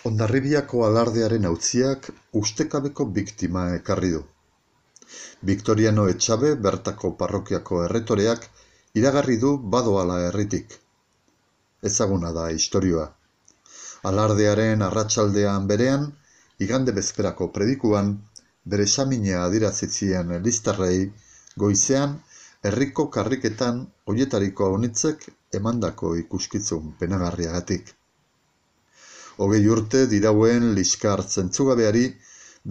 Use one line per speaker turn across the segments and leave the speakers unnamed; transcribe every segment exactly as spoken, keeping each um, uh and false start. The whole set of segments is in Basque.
Hondarribiako alardearen auziak ustekabeko biktima ekarri du. Victoriano Etxabe bertako parrokiako erretoreak iragarri du badoala herritik. Ezaguna da istorioa. Alardearen arratsaldean berean, igande bezperako predikuan, bere samina adierazi zien listarrei, goizean herriko karriketan hoietariko anitzek emandako ikuskizun penagarriagatik. Hogei urte dirauen liskar zentzugabeari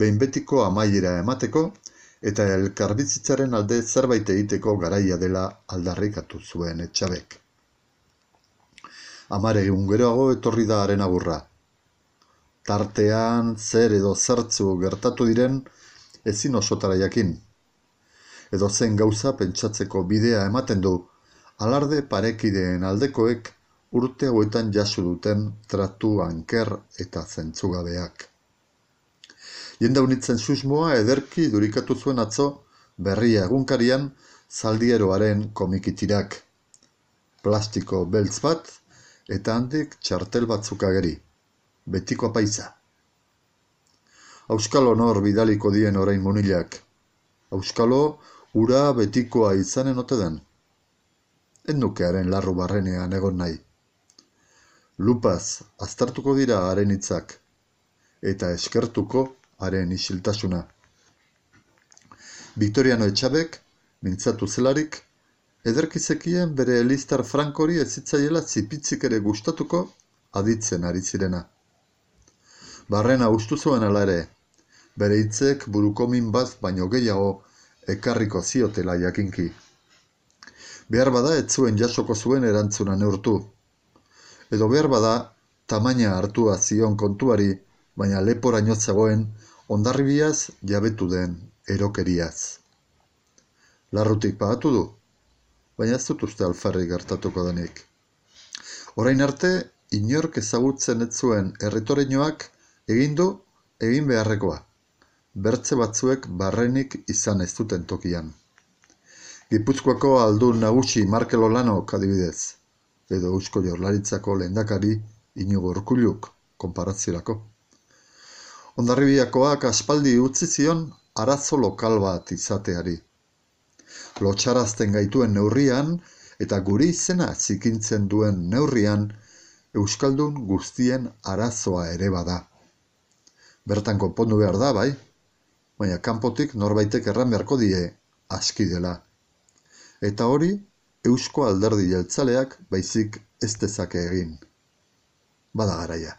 behin betiko amaiera emateko eta elkarbizitzaren alde zerbait egiteko garaia dela aldarrikatu zuen Etxabek. Hamar egun geroago etorri da haren agurra. Tartean zer edo zertzu gertatu diren ezin osotara jakin. Edozein gauza pentsatzeko bidea ematen du alarde parekideen aldekoek urte hauetan jaso duten tratu anker eta zentzugabeak. Jende unitzen susmoa ederki durikatu zuen atzo Berria egunkarian Zaldieroaren komikitirak. Plastiko beltz bat eta handik txartel batzuk ageri. Betiko apaitza. Auskalo nor bidaliko dien orain munilak. Auskalo ura betikoa izanen ote den. Ennukearen larru barrenean egon nahi. Lupaz aztertuko dira haren hitzak, eta eskertuko haren isiltasuna. Victoriano Etxabek, mintzatu zelarik, ederki zekien bere listar frankori ez zitzaiela zipitzik ere gustatuko aditzen ari zirena. Barrena ustu zuen ala ere, bere hitzek burukomin bat baino gehiago ekarriko ziotela jakinki. Behar bada ez zuen jasoko zuen erantzuna neurtu. Edo behar bada tamaina hartua zion kontuari, baina leporaino zegoen Hondarribiaz jabetu den erokeriaz. Larrutik pagatu du, baina ez dut uste alferri gertatuko denik. Orain arte, inork ezagutzen ez zuen erretoreinoak egin du egin beharrekoa. Bertze batzuek barrenik izan ez duten tokian. Gipuzkoako aldun nagusi Markel Olanok adibidez, edo Eusko Jaurlaritzako lehendakari Inigo Urkulluk konparaziorako. Hondarribiakoak aspaldi utzi zion arazo lokal bat izateari. Lotsarazten gaituen neurrian eta guri izena zikintzen duen neurrian euskaldun guztien arazoa ere bada. Bertan konpondu behar da, bai, baina kanpotik norbaitek erran beharko die aski dela. Eta hori Eusko Alderdi Jeltzaleak baizik ez dezake egin. Bada garaia.